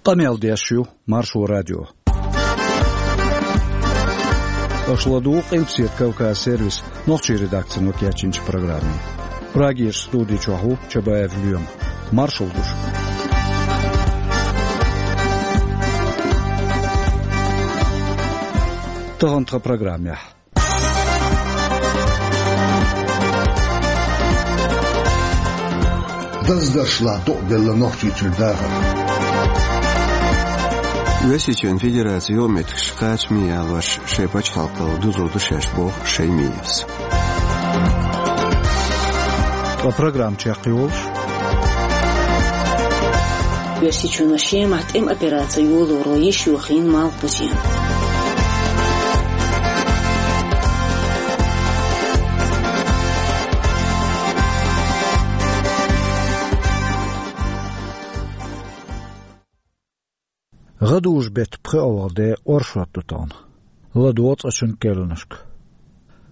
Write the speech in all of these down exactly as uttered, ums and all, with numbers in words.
Къамел деш ю Маршо радио. Аша ладугӀу Къилбаседа Кавказ сервисан нохчийн редакцино кечйинчу программе. Прагерчу студи чохь ву Чабаев Лоьма. Маршалла ду шуьга. Тахана тхан программехь. Даздаршлахь дукъ делла Нохчийчуьра дахар. Оьрсийчоьнан Федерацин юкъаметтигаш кхачаме ялош шайн пачхьалкхалла дузур ду шаьш, боху Шемаевс. Ткъа программа чекхйолуш. Оьрсийчоьно Шемахь тӀеман операци йолоро йиш йохийна Малхбузен. ГӀадужу-беттан пхоьалгӀа де оршот ду тахана. ЛадогӀа цкъачунна керланашка.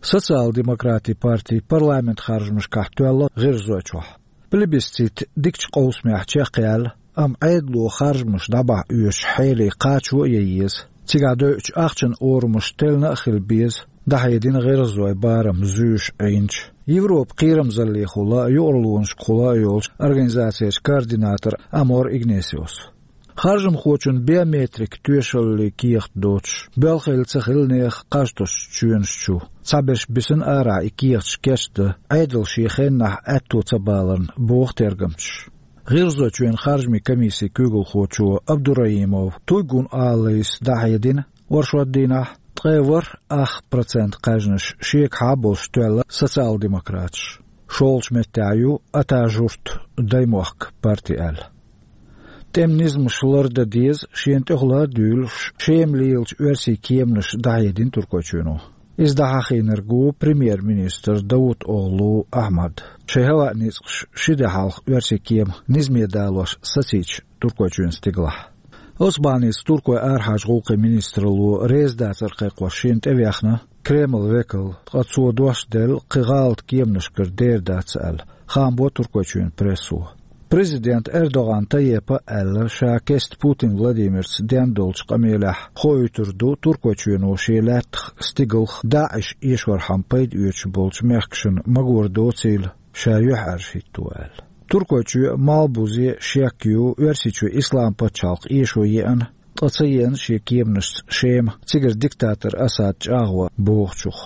Социал-демократийн партин парламентан харжамашкахь тоьлла гӀирзой чохь. Плебисцит дикачу къовсамехь чекхъяьлла, амма Ӏедало харжамаш дӀабахьа оьшучу хьеле кхачо а ян еза. Цигахь девллачу ахчанан орамаш теллина а хила беза, дӀахьедина гӀирзой барам зуьйш Ӏийначу, Европан кхерамзаллехула а, юкъарлонашкахула а йолчу организацерчу координатора Амор Игнесиос. Харжамхочун биометрик тоьшаллин кехат доцуш, боьлхийла ца хилла нехан кхаж тосучу чоьнаш чу, цхьаберш бисина арахь и кехаташ кечдан, Ӏедал шен хеннахь аьтто ца баларна, боху тергамчаша. ГӀирзойчоьнан харжамийн комиссин куьйгалхочо Абдураимов Туйгун Алайс дӀахьедина, оршот дийнахь ткъе ворхӀ ах процент кхаьжнаш шегахьа болуш тоьлла социал-демократаш. ШолгӀачу меттехь ю Атажурт даймохк парти аьлла. ТӀеман низамаш лардан деза, шена тӀехула а дуьйлуш, Шема лелачу оьрсийн кеманаш дӀахьедина Туркойчоьно. Иза дӀахьахийнарг ву премьер-министр Давутоглу Ахьмад. Шайн хӀаваан ницкъаш ши де хьалха оьрсийн кема низаме далош сацийча Туркойчоьнан стигалахь. Оцу бахьаница туркойн арахьарчу гӀуллакхийн министралло реза дацар кхайкхош шена тӀевехна Кремлан векал, ткъа цо дош делла кхин гӀалат кеманашкара дер дац аьлла, хаам бо Туркойчоьнан прессо. Президента Эрдоган Тайепа а аьлла, ша кеста Путин Владимирца ден долчу къамелехь хоуьйтур ду Туркойчоьно шен лаьттах стигалх ДАИШ эшорхьама пайда оьцуш болчу мехкашна магор доцийла, ша юьхьӀаьржа хӀитто аьлла. Туркойчоь а, Малхбузе а шек ю, Оьрсийчоь Исламан пачхьалкх эшо еана, ткъа ца еана шен кеманашца Шема, цигара диктатор Асад чӀагӀо бохучух.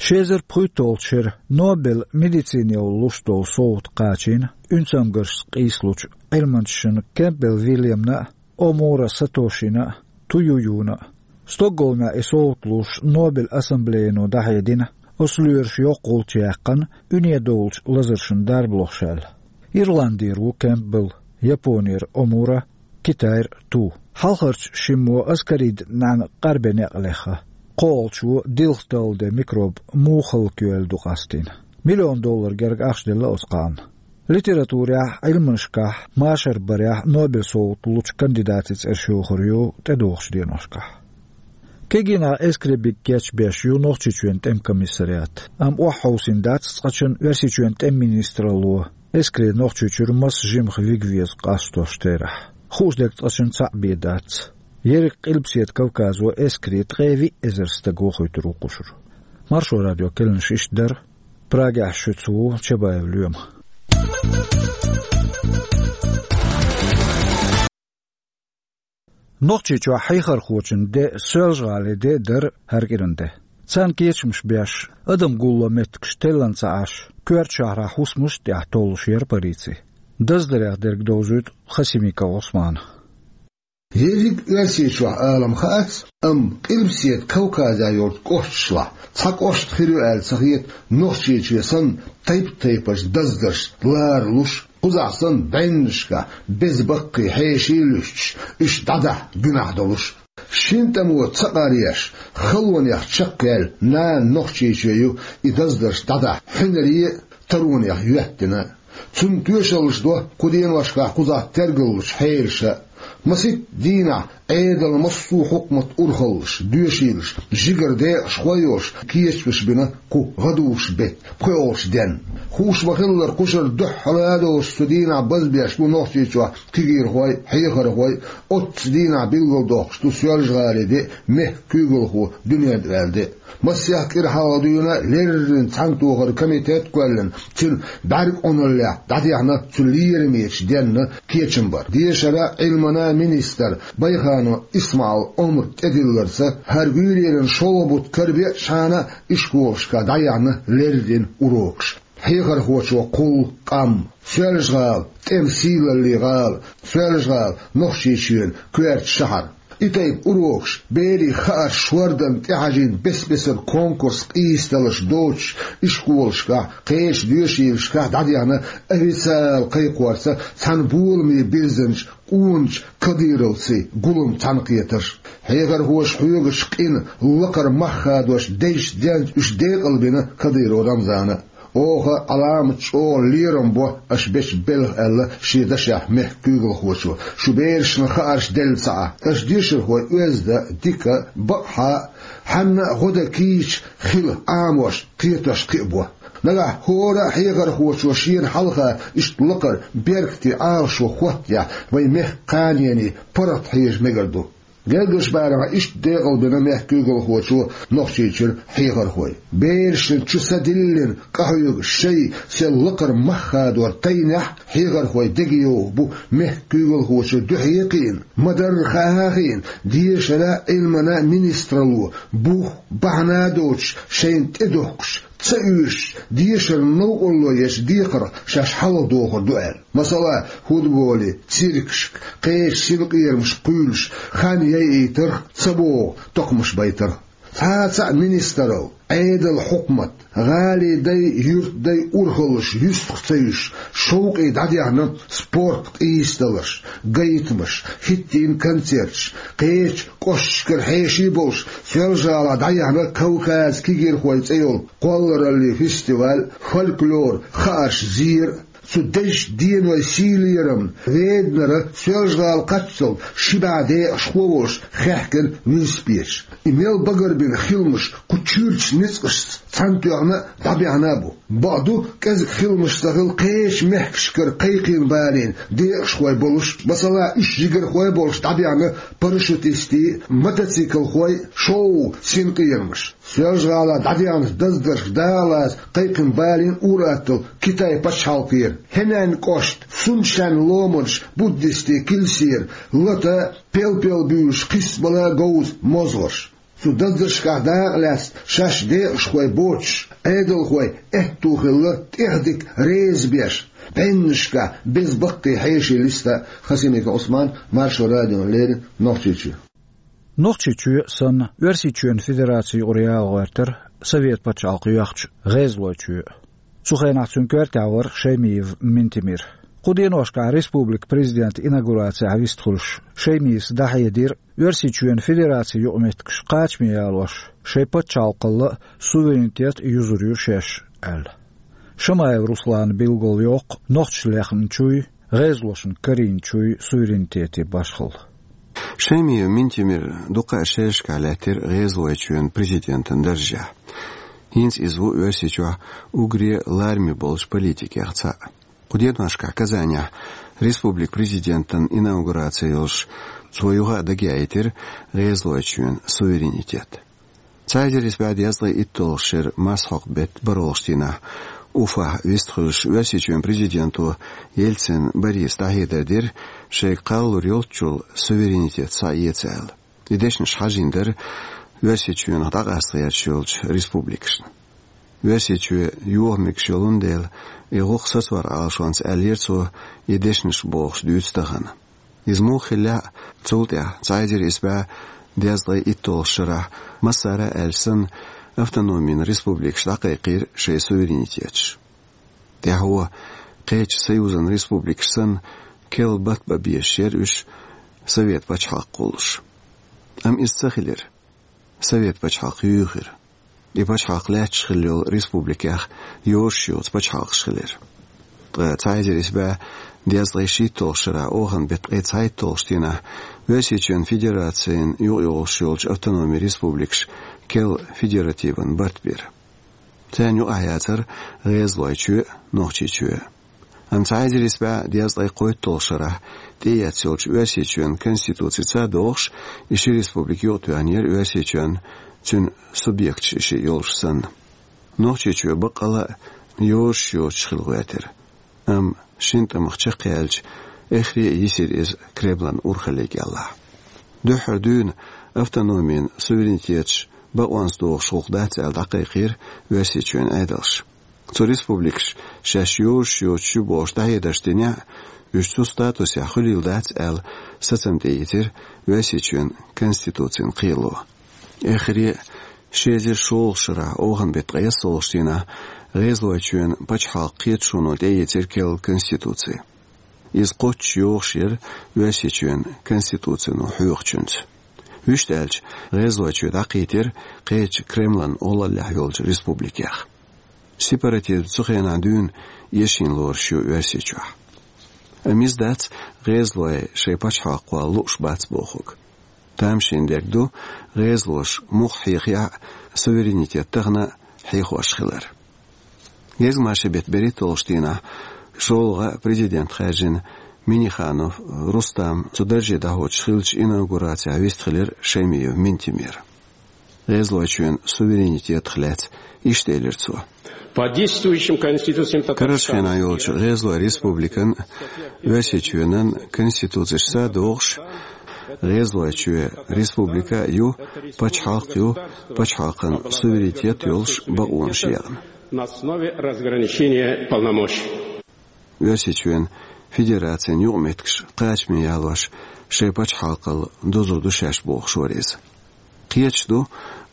Ши эзар пхийтталгӀачу шеран Нобелан медицинехула луш долу совгӀат кхачийна уьнцамгаршца къийсалучу Ӏилманчашна Кемпбелл Вильямна а, Омура Сатошина а, Туююна а. Стокгольмехь и совгӀат луш Нобелан ассамблеяно дӀахьедина, оцу лоьраша йоккха гӀулч яьккхина уьне довлучу лазаршна дарба лохуш аьлла. Ирландера ву Кемпбелл, Японера Омура, Китайра Ту. Хьалхарчу шиммо аскарид нӀаьна къарбен некъ лехна. КхоалгӀачо дилха далла де микроб муха хӀаллакйойла ду къастийна. Миллион доллар герга ахча делла оцу кхаанна. Литературехь, Ӏилманашкахь, машар барехь Нобелан совгӀат лучу кандидатийн цӀераш йохур ю тӀедогӀучу деношкахь. Кегийнах эскаре биг кечбеш ю Нохчийчоьнан тӀеман комиссариат, амма охьахьовсийна дац цкъачунна Оьрсийчоьнан тӀеман министралло эскаре Нохчийчуьра маса жимах лига веза къастош терахь. Хууш дерг цкъачунна цхьаъ бен дац. Ерриг Къилбаседа Кавказо эскаре ткъе виъ эзар стаг вохуьйтур ву кхушара. Маршо радион керланаш иштта дара. Прагехь шуьца ву Чабаев Лоьма. Нохчийчохь хьехархочун де Соьлжа-ГӀалин де а дара хӀара кӀиран де. Царна кечамаш беш, адам гулло меттигаш теллан ца Ӏаш, коьрта шахьарахь хӀусамаш а тӀехь толлуш яра полици. Даздарех дерг довзуьйту Хасимиков Ӏусмана. Ерриг Оьрсийчохь алам хаац, амма Къилбаседа Кавказехь йолчу кӀошташлахь цхьа кӀошт хир ю аьлла ца хета, Нохчийчоь санна тайп-тайпанчу даздаршца ларалуш, кхузахь санна бӀеннашкахь беза баккхий хьеший а луьстуш, уьш дӀадахьа гуьнахь долуш. Шина тӀамо ца къаръеш, халонех чекхъяьлла нана Нохчийчоь ю и даздарш дӀадахьа хьуьнаре а, таронех йоьттина. Цунна тоьшаллаш до кху деношкахь кхузахь тергаллучу хьелаша. Масийтта дийнахь Ӏедалан массо а хьукматан урхаллаш, доьшийлаш, жигара декъашхой а йолуш, кечамаш бина кху гӀадужу беттан пхоьалгӀачу денна. Хууш ма-хиллара, кхушара дуьххьара а доцуш цу дийнахь базбеш бу Нохчийчохь кегийрхой, хьехархой, оццу дийнахь билгалдоккхуш ду Соьлжа-ГӀалин де а, мехкан куьйгалхо дуьнен тӀе ваьлла де а. Масех кӀира хьалха дуьйна леррина цхьаьнатохаран комитет а кхоьллина, цуьнан бӀаьрг Ӏуналлехь дӀадехна цу лерамечу денна кечам бар. Дешаран, Ӏилманан министр Байханов ИсмаӀал омра тӀедилларца, хӀара гуьйренан шолгӀа бутт карабеачхьана, ишколашкахь дӀаяьхьна леррина урокаш. Хьехархочо кхуллу къам, Соьлжа-ГӀала, тӀеман сийлаллин гӀала, Соьлжа-ГӀала, Нохчийчоьнан коьрта шахьар. И тайпа урокаш, берийн хаарш шорданна тӀехьажийна бес-бесара конкурс къийсадаларш доцуш, ишколашкахь, кхечу доьшийлашкахь дӀадехна официалан кхайкхорца цхьана боламе бирзинчу къоначу Кадыровцийн гулам цхьаьнакхетарш. Хьехархоша хьоьгучу къина лакхара мах хадош дезачу денца уьш декъалбина Кадыров Рамзана. Оха Ӏаламат чӀогӀа лерам бо аша бечу белхан, аьлла шен дашехь мехкан куьйгалхочо. Шун берашна хаарш делла ца Ӏа. Аша дешархой оьзда, дика, бакъахьа, хьанна а гӀо дан кийча хила Ӏамош, кхетош кхин а бо. Нагахь хӀора а хьехархочо шена хьалха иштта лакхара беркате Ӏалашо хӀоттахь, вайн мехкан кханенийн паргӀат хьежа мегар ду. Герггарчу барамехь иштта декъалбина мехкан куьйгалхочо Нохчийчуьра хьехархой. Берашна чу са диллина къахьоьгуш шайн сел лакхара мах хадор тайнехь, хьехархой дегайовха бу мехкан куьйгалхочун дуьхье а кхиъна, ма-дарра хаа а хиъна, дешаран, Ӏилманан министралло бух, бахьана а доцуш, шайна тӀедухкуш, ца оьшуш, дешаран новкъарло ечу декхарх шаьш хьалхадохур ду аьлла. Масала, футболе, циркашка, кхечу синкъерамашка кхуьйлуш, хан яйийтарх, ца богӀу токхамаш байтарх. Цхьа а цхьаъ министралла, Ӏедалан хьукмат, гӀалин дай, юьртан дай урхаллаш юьстах ца юьсуш, шовкъе дӀадехна спорт къийсадаларш, гайтамаш, хӀиттийна концерташ, кхечу кӀошташкара хьеший болуш, Соьлжа-ГӀалахь дӀаяьхьна Кавказан кегийрхойн цӀе йолу кхоллараллин фестиваль, фольклор, хаарш зер а. Цу дезачу денойн сийлаллин лерамна, веданара Соьлжа-ГӀала кхаччалц ши бӀе декъашхо а волуш хаьхкина велосипедаш. И мел багарбина хиламаш кху чуьрачу ницкъашца цхьаьнатоьхна а, дӀабаьхьна а бу. Бакъду, кӀезиг хиламаш ца хилла кхечу мехкашкара кхайкхина балийна декъашхой болуш, масала, уьш жигархой а болуш дӀабаьхьна парашютистийн, мотоциклхойн шоу синкъерамаш. Соьлжа-ГӀалахь дӀадаьхначу даздаршка дакъалаца кхайкхина балийна ур-атталла Китайн пачхьалкхера, Хьэнан кӀоштан, Сунчжэнь ломанаш, буддистийн килсера, лата, пел-пел буьйлуш, кхиссабала говза мозгӀарш. Цу даздаршкахь дакъалаьцна шаьш декъашхой боцуш, Ӏедалхой аьтто хилла тӀех дика реза беш, бӀеннашкахь беза баккхий хьеший листа. Хасимиков Ӏусман, Маршо радиона леррина, Нохчийчоь. Нохчийчоь санна, Оьрсийчоьнан Федераци юкъара яла гӀоьртира Совет пачхьалкх йоьхначу ГӀезалойчоь. Цу хенахь цуьнан коьртехь вара Шаймиев Минтимир. Кху деношкахь республикан президентан инаугурацехь вистхуьлуш, Шаймиевс дӀахьедира, Оьрсийчоьнан Федерацин юкъаметтигаш кхачаме ялош, шайн пачхьалкхалла а, суверенитет а юзур ю шаьш аьлла. Шамаев Руслана билгалйоккху нохчаша лехначуй, гӀезалошна карийначуй суверенитетан башхалла. Шаймиев Минтимир дукха а шерашкахь лаьттира ГӀезалойчоьнан президентан даржехь. ХӀинца иза ву Оьрсийчохь уггаре лараме болчу политикех цхьаъ. Кху деношкахь Казанехь республикан президентан инаугураци йолуш, цо юха а дагаяийтира ГӀезалойчоьнан суверенитет. Цхьа эзар исс бӀе дезткъе итталгӀачу шеран марсхьокху беттан бархӀолгӀачу дийнахь Уфахь вистхуьлуш, Оьрсийчоьнан президенто Ельцин Бориса дӀахьедар дира, шайга кхаллалур йолччул суверенитет схьаэца аьлла. И дешнаш хьажийна дара Оьрсийчоьнах дӀакъаста гӀерташ йолчу республикашна. Оьрсийчоь йоха мегаш йолун дела, и гӀуллакх сацор Ӏалашонца аьллера цо, и дешнаш бохуш дуьйцу тахана. Иза муха хиллехь а, цул тӀаьхьа цхьа эзар исс бӀе дезткъе итталгӀачу шарахь, массара а аьлча санна, автономин республикаша дӀакхайкхийра шайн суверенитеташ. ТӀаьхьо кхечу союзан республикаш санна, керла бат бан безаш яра уьш, Совет пачхьалкх кхуллуш. Амма иза ца хилира. Совет пачхьалкх юьйхира. И пачхьалкх лаьтташ хилла йолу республикех йозуш йоцу пачхьалкхаш хилира. Ткъа цхьа эзар исс бӀаь дезткъе шийтталгӀачу шарахь оханан беттан ткъе цхьайтталгӀачу дийнахь Оьрсийчоьнан Федерацин юкъайогӀуш йолчу автономи республикаш керла федеративан барт бира. Царна юкъахь яцара ГӀезалойчоь а, Нохчийчоь а. Амма цхьа эзар исс бӀаь дезткъе кхойтталгӀачу шарахь тӀеэцна йолчу Оьрсийчоьнан Конституцица а догӀуш, и ши республика юкъатоьхнера Оьрсийчоьнан, цуьнан субъекташ и шиъ йолуш санна. Нохчийчоь баккъалла а йозуш йоцуш хила гӀоьртира. Амма шина тӀамах чекхъяьлча, эххаре а йисира иза Кремлан урхалле кӀелахь. Дуьххьара дуьйна автономин, суверенитеташ бакъонца догӀуш гӀуллакх дац аьлла дӀакхайкхийра Оьрсийчоьнан Ӏедалша. Цу республикаша шаьш йозуш йоцуш ю бохуш дӀахьедарш динехь а, уьш цу статусехь хуьлийла дац аьлла сацам тӀеийцира Оьрсийчоьнан Конституцин кхело. Эххаре а, ши эзар шолгӀачу шарахь оханан беттан ткъе ялхалгӀачу дийнахь ГӀезалойчоьнан пачхьалкхан кхеташоно тӀеийцира керла Конституци. Иза кхоччуш йогӀуш яра Оьрсийчоьнан Конституцино хьоьхучуьнца. Вуьшта аьлча, ГӀезалойчоь дӀакхийтира кхечу Кремлан гӀоллаллехь йолчу республикех. Сепаратизм цу хенахь дуьйна эшийна лоруш ю Оьрсийчохь. Амма иза дац ГӀезалой шайн пачхьалкх кхолла лууш бац бохург. Тамашийна дерг ду, гӀезалоша муха хьехаяхь а, суверенитет тахана а хьехош хилар. Гезгмашин беттан берхӀитталгӀачу дийнахь шолгӀа президент хаьржина Минниханов Рустам цу дарже дӀахьочуш хиллачу инаугурацехь вистхилира Шаймиев Минтимир. ГӀезалойчоьнан суверенитетах лаьцна иштта элира цо: По действующим конституциям Карарчу хенахь йолчу ГӀезалойн республикан а, Оьрсийчоьнан конституцешца а догӀуш, ГӀезалойчоь республика а ю, пачхьалкх а ю, пачхьалкхан суверенитет а йолуш бакъонаш екъна. На основе разграничения полномочий. Оьрсийчоьнан Федерацин юкъаметтигаш кхачаме ялош, шайн пачхьалкхал дузур ду шаьш бохуш вара иза. Кхеташ ду,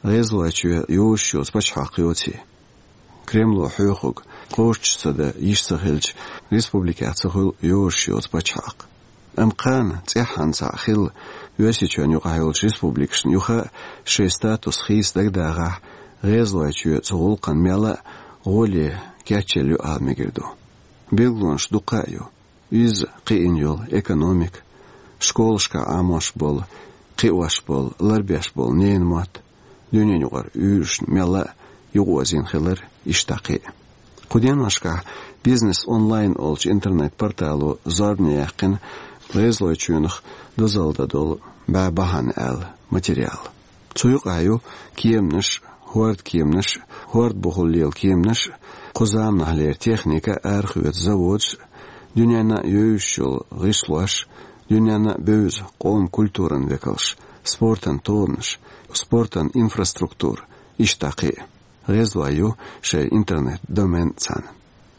ГӀезалойчоь йозуш йоцу пачхьалкх йоций. Кремло хьоьхург кхоччуш ца дан йиш ца хилча, республикех ца хуьлу йозуш йоцу пачхьалкх. Амма кхана цӀеххьана цхьаъ хилла, Оьрсийчоьнна юкъахь йолчу республикашна юха а шайн статус хийца дагадагӀахь, ГӀезалойчоь цу гӀуллакхна мелла а гӀоле кечъелла ю ала мегар ду. Билгалонаш дуккха а ю. Иза кхиъна йолу экономика, школашкахь Ӏамош болу, кхиош болу, ларбеш болу ненан мотт, дуьненаюкъара уьйрашна мелла а юкъаозийна хилар, иштта кхин а. Кху деношкахь «Бизнес онлайн» олучу интернет-портало зорбане яьккхина ГӀезалойчоьнах дозалла дан долу бӀе бахьана аьлла материал. Цу юкъахь ю кеманаш, хӀордан кеманаш, хӀордан бухахула лела кеманаш, кху заманахьлера техника, арахоьцу заводаш, дуьненна а евзаш йолу гӀишлош, дуьненна а бевза къоман культуран векалш, спортан тонаш, спортан инфраструктура, иштта кхин а. ГӀезалой ю шайн интернет-домен цхьаьна.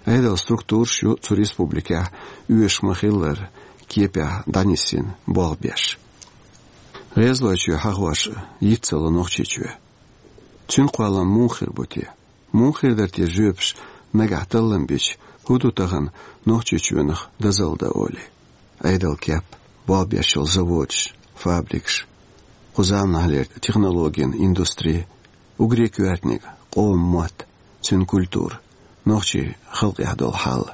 Ӏедалан структураш ю цу республикехь оьшуш ма-хиллара кепехь дӀанисйина болх беш. ГӀезалойчоь хьахош йиц ца ло Нохчийчоь. Цуьнан кхоллам муха хир бу те? Муха хир дара те жоьпаш нагахь таллам бича, хӀун ду тахана Нохчийчоьнах дозалла дан олий? Ӏедалан кеп, болх беш йолу заводаш, фабрикаш, кху заманахьлера технологийн индустри, уггаре коьртаниг къоман мотт, цуьнан культура, нохчийн халкъехь долу хьал.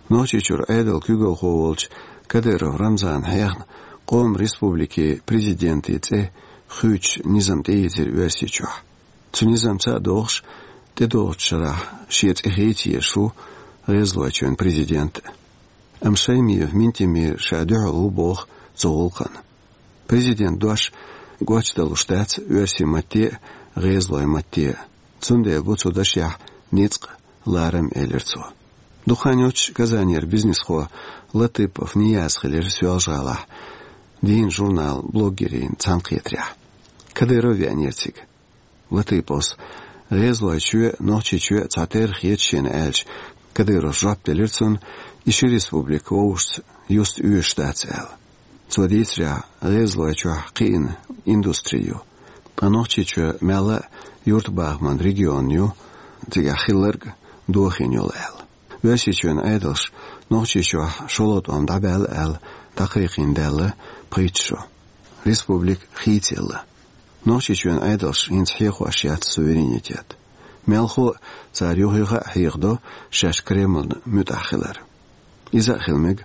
Нохчийчуьра Ӏедалан куьйгалхо волчу Кадыров Рамзана хьехна, къоман республикийн президентийн цӀе хуьйцуш низам тӀеийцира Оьрсийчохь. Цу низамца а догӀуш, тӀедогӀучу шарахь шен цӀе хийца езаш ву ГӀезалойчоьнан президент а. Амма Шаймиев Минтимир ша дуьхьал ву боху цу гӀуллакхна. Президентан дош гочдалуш дац оьрсийн матте а, гӀезалойн матте а. Цундела бу цу дашехь ницкъ, ларам, элира цо. Дукха хан йоццуш Казанера бизнесхо Латыпов Нияз хилира Соьлжа-ГӀалахь дийнан журнал «Блоггерийн» цхьаьнакхетарехь. Кадыров веанера цига. Латыповс: «ГӀезалойчоь а, Нохчийчоь а цхьатерра хета шена», — аьлча, Кадыровс жоп делира цунна: «И ши республика вовшашца юста оьшуш дац», — аьлла. Цо дийцарехь, ГӀезалойчохь кхиъна индустри ю, ткъа Нохчийчоь мелла а юьртабахаман регион ю, цигахь хилларг дохийна йолу аьлла. Оьрсийчоьнан Ӏедалша Нохчийчохь шолгӀа тӀом дӀабаьлла аьлла дӀакхайкхийна даьлла пхийтта шо. Республика хийцаелла. Нохчийчоьнан Ӏедалша хӀинца хьехош яц суверенитет. Мелхо а цара юха-юха а хьехадо шаьш Кремлна муьтӀахь хилар. Иза а хила мега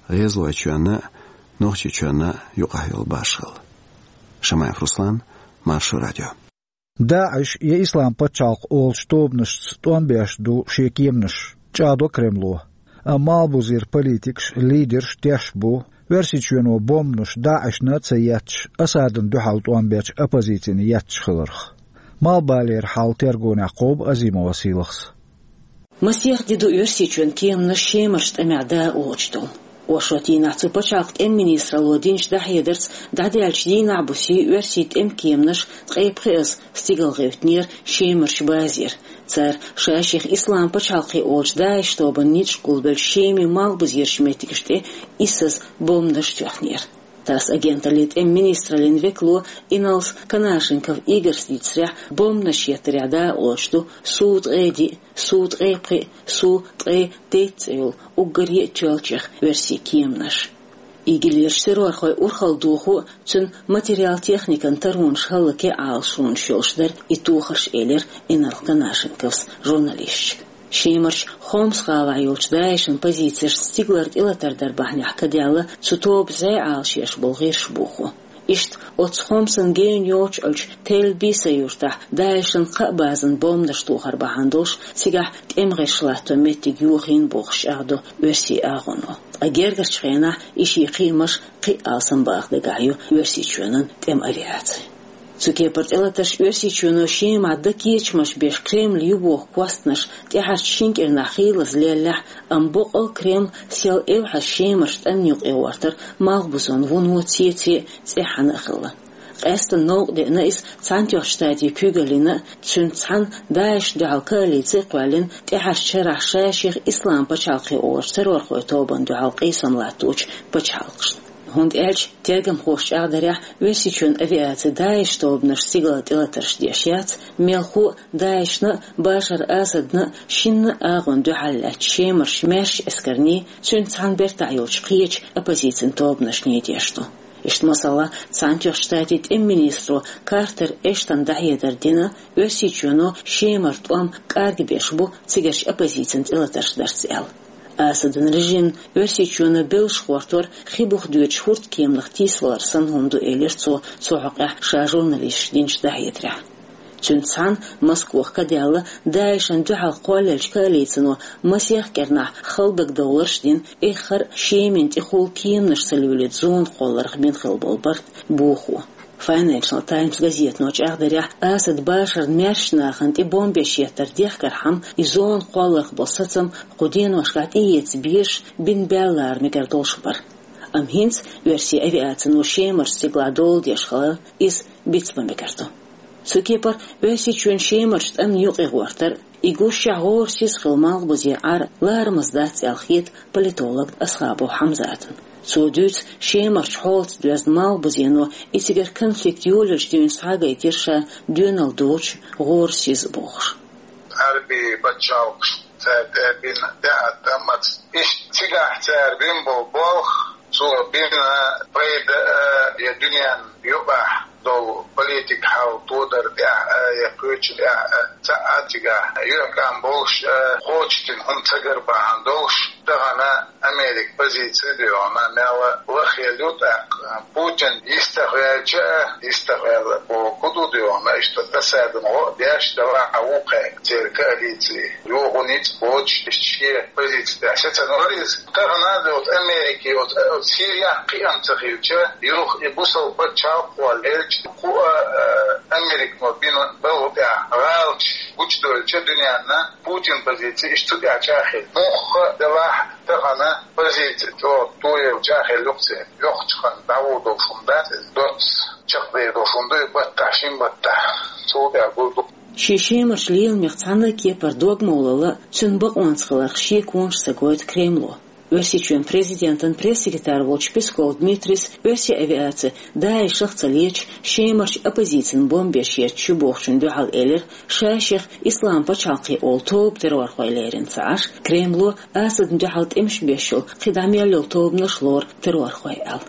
ГӀезалойчоьнна а, Нохчийчоьнна а юкъахь йолу башхалла. Шамаев Руслан, Маршо радио. ДАИШ я Ислам пачхьалкх олучу тобанашца тӀом беш ду шен кеманаш, чӀагӀдо Кремло. Амма малхбузера политикаш, лидераш тешна бу, Оьрсийчоьно бомбанаш ДАИШна а ца етташ, Асадна дуьхьал тӀом бечу оппозицина етташ хиларх. Малхбалера хьал тергонехь кхобу Азимова Сийлахьс. Масех де ду Оьрсийчоьнан кеманаш Шемарчу тӀамехь дакъа лоцуш долу. Оршот дийнахь цу пачхьалкхан тӀеман министралло динчу дӀахьедарца, дӀадаьллачу дийнахь буьйсанна Оьрсийн тӀеман кеманаш ткъе пхеазза стигалгӀевттинера Шемарчу базера. Цара ша-шех Ислам пачхьалкх олучу ДАИШ тобанан ницкъ гулбеллачу Шеман малхбузерчу меттигаш тӀе иссаза бомбанаш тоьхнера. ТАСС агенталлин тӀеман министраллин векало Иналс Канашенков Игорьс дийцарехь, бомбанаш еттарехь дакъа лоцуш ду Су ткъе диъ, Су ткъе пхиъ, Су ткъе дейтта цӀе йолу уггаре а тоьллачех оьрсийн кеманаш. ИГИЛерчу террорхойн урхалла дохо а, цуьнан материал-техникан таронаш хӀаллаке а Ӏалашонаш йолуш дара и тохарш, элира Иналс Канашенковс журналисташка. Шемарчу Хомс гӀалахь йолчу ДАИШан позицешна стигалара тӀелатар дар бахьанехь кадаьлла цу тобанан зӀе Ӏалашъеш болу гӀирс бохо. Иштта оццу Хомсан гена йоццуш йолчу Тель-Биса юьртахь ДАИШан кхаа базана бомбанаш тохар бахьана долуш, цигахь тӀеман гӀирс латто меттиг йохийна бохуш чӀагӀдо оьрсийн агӀоно. Ткъа гергарчу хенахь и шен кхиамаш кхин а алсамбаха дагахь ю Оьрсийчоьнан тӀеман авиаци. Цу кепара тӀелатарш Оьрсийчоьно Шемахь дан кечамаш беш Кремль ю боху костнаш тӀаьхьарчу шина кӀирнахь хийлаза леллехь, амма боккъал Кремль сел эвхьаза Шемарчу тӀамна юкъа гӀортар малхбузонан вуно цеце а, цӀеххьана а хилла. Къаьсттина новкъа деана иза Цхьаьнатоьхначу Штатийн куьйгаллина а, цуьнца цхьаьна ДАИШна дуьхьал коалици а кхоьллина, тӀаьхьарчу шарахь ша-шех Ислам пачхьалкх олучу террорхойн тобанна дуьхьал къийсам латточу пачхьалкхашна. ХӀунда аьлча, тергамхоша чӀагӀдарехь, Оьрсийчоьнан авиаци ДАИШ тобанашна стигалара тӀелатарш деш яц, мелхо а ДАИШна а, Башар Асадна а, шинна а агӀонна дуьхьал лаьттачу Шемарчу маьршачу эскарний, цуьнца цхьаьна бертахь йолчу кхечу оппозицин тобанашний деш ду. Иштта, масала, Цхьаьнатоьхначу Штатийн тӀеман министро Картер Эштона дӀахьедар дина, Оьрсийчоьно Шемара тӀом кӀаргбеш бу цигарчу оппозицина тӀелатарш дарца аьлла. Асадан режимна Оьрсийчоьно беллаш гӀортор хи буха доьдучу хӀурдкеманах тийсавалар санна хӀума ду, элира цо цу хьокъехь ша журналисташка динчу дӀахьедарехь. Цуьнца цхьаьна Москвахь кадаьлла ДАИШна дуьхьал кхоллаеллачу коалицино масех кӀирнахь хала дагадовларш а дина, эххар а Шемина тӀехула кеманаш ца луьйлуьйту зона кхолларх бина хилла болу барт бохо. Financial Times газетано чӀагӀдарехь, Асад Башарна маьршачу нахана тӀе бомбеш еттар дехкархьама, и зона кхолларх болу сацам кху деношкахь тӀеэца безаш, бина баьлла лара мегар долуш бара. Амма хӀинца оьрсийн авиацино Шемарчу стигалахь дола деш хиларна, иза бицбан мегар ду. Цу кепара Оьрсийчоьнан Шемарчу тӀамна юкъа гӀортар, и гуш шехь гӀорасиз хилла малхбузен Ӏар ларамаза дац аьлла хета политолог Асхабов Хьамзатна. Цо дуьйцу, Шемарчу хьолаца доьзна малхбузено и цигара конфликт йолаелча дуьйна схьагайтира ша доьналла доцуш, гӀорасиз бохуш. Ӏарбийн пачхьалкхаш цара тӀе бина тӀеӀаткъамаца, иштта цигахь цара бина болу болх, цо бина пайда а, я дуьненна юкъахь долу политика хьал тодар тӀехь а, я кхечу тӀехь а, цхьа а цигахь юьхькӀам болуш а, кхочушдина хӀума ца гар бахьана долуш, тахана Америка позици а дуьйхьна, мел лахъелла ю тӀаккха. Путин йистехвелча а, йистехвелла боху ду дуьйхьна, иштта Асадна гӀо а деш, делахь а ву кхаьа церан коалици. Юха ницкъ боцуш, иштта шен позици тӀехь сецна вара иза. Тахана а, оцу Америкин, оцу, оцу Сирехь кхиам ца хилча, юха и бусалба пачхьалкх кхоллаелча, кху а, а, Американо бина балха тӀехь гӀалаташ гучудоьлча дуьненна, Путинан позици иштта цу тӀехь чӀагӀхилла. Муьлхха а делахь, тахана позици чӀогӀа тоелла чӀагӀхилла ю-кх церан. Йоккхачу ханна дӀагӀур долуш хӀума дац иза, доцца чекхдер долуш хӀума ду и баттахь, шин баттахь. Цул тӀаьхьа гур ду. Шен Шемарчу леламех цхьана а кепара дог ма лолла, цуьнан бакъонца хиларх шеконаш ца гойту Кремло. Оьрсийчоьнан президентан пресс-секретарь волчу Песков Дмитрийс оьрсийн авиаци ДАИШах ца леташ, Шемарчу оппозицина бомбеш етташ ю бохучунна дуьхьал элира, ша-шех Ислам пачхьалкх олу тоба террорхой лерина ца Ӏаш, Кремло Асадна дуьхьал тӀемаш беш йолу кхидӀа мел йолу тобанаш лору террорхой аьлла.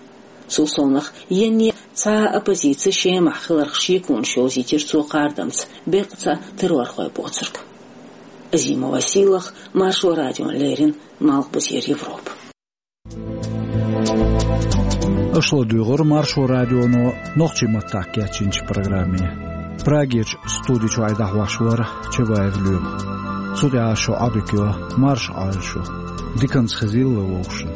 Цул совнаха, енне а цхьа а оппозици Шемахь хиларх шеконаш йовзийтира цо кхардамца, беккъа цхьа террорхой боцург. Азимова Сийлахь, Маршо радиона леррина, Малхбузера Европа. Аша ладугӀура Маршо радионо нохчийн маттахь кечйинчу программе. Прагерчу студи чуьра дӀахьош вара Чабаев Лоьма. Цу тӀехь шун Ӏодика йо, марша Ӏойла шу. Диканца хезийла вовшашна.